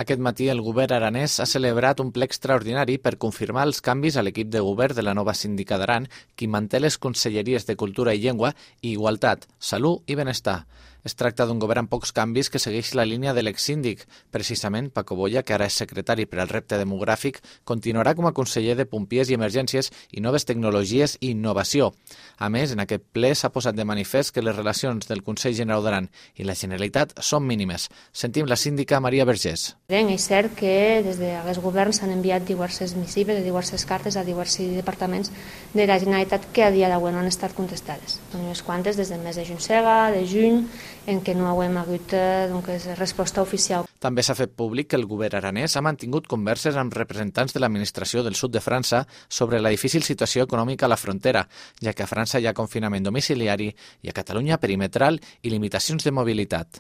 Aquest matí el govern aranès ha celebrat un ple extraordinari per confirmar els canvis a l'equip de govern de la nova síndica d'Aran, qui manté les conselleries de Cultura i Llengua i Igualtat, Salut i Benestar. Es tracta d'un govern amb pocs canvis que segueix la línia de l'exsíndic. Precisament, Paco Boya, que ara és secretari per al repte demogràfic, continuarà com a conseller de Pompiers i Emergències i Noves Tecnologies i Innovació. A més, en aquest ple s'ha posat de manifest que les relacions del Consell Generau d'Aran i la Generalitat són mínimes. Sentim la síndica Maria Vergés. És cert que des dels governs s'han enviat diverses missives, diverses cartes a diversos departaments de la Generalitat que a dia d'avui no han estat contestades. Unes quantes des del mes de juny, en què no hem hagut resposta oficial. També s'ha fet públic que el govern aranès ha mantingut converses amb representants de l'administració del sud de França sobre la difícil situació econòmica a la frontera, ja que a França hi ha confinament domiciliari i a Catalunya perimetral i limitacions de mobilitat.